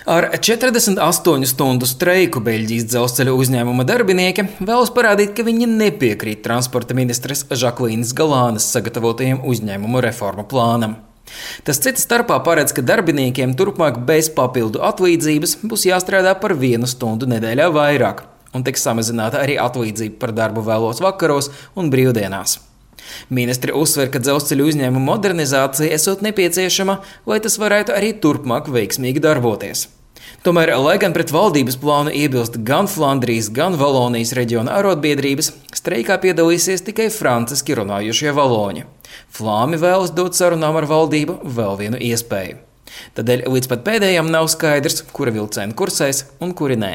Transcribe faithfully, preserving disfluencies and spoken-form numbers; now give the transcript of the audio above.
Ar četrdesmit astoņu stundu streiku Beļģijas dzelzceļa uzņēmuma darbinieki vēlas parādīt, ka viņi nepiekrīt transporta ministres Žaklīnas Galānas sagatavotajam uzņēmumu reformu plānam. Tas cita starpā paredz, ka darbiniekiem turpmāk bez papildu atlīdzības būs jāstrādā par vienu stundu nedēļā vairāk, un tiks samazināta arī atlīdzība par darbu vēlos vakaros un brīvdienās. Ministri uzsver, ka dzelzceļa uzņēmuma modernizācija esot nepieciešama, lai tas varētu arī turpmāk veiksmīgi darboties. Tomēr, lai gan pret valdības plānu iebilst gan Flandrijas, gan Valonijas reģiona arotbiedrības, streikā piedalīsies tikai franciski runājušie valoņi. Flāmi vēlas dot sarunām ar valdību vēl vienu iespēju. Tādēļ līdz pat pēdējām nav skaidrs, kura vilciena kursēs un kuri nē.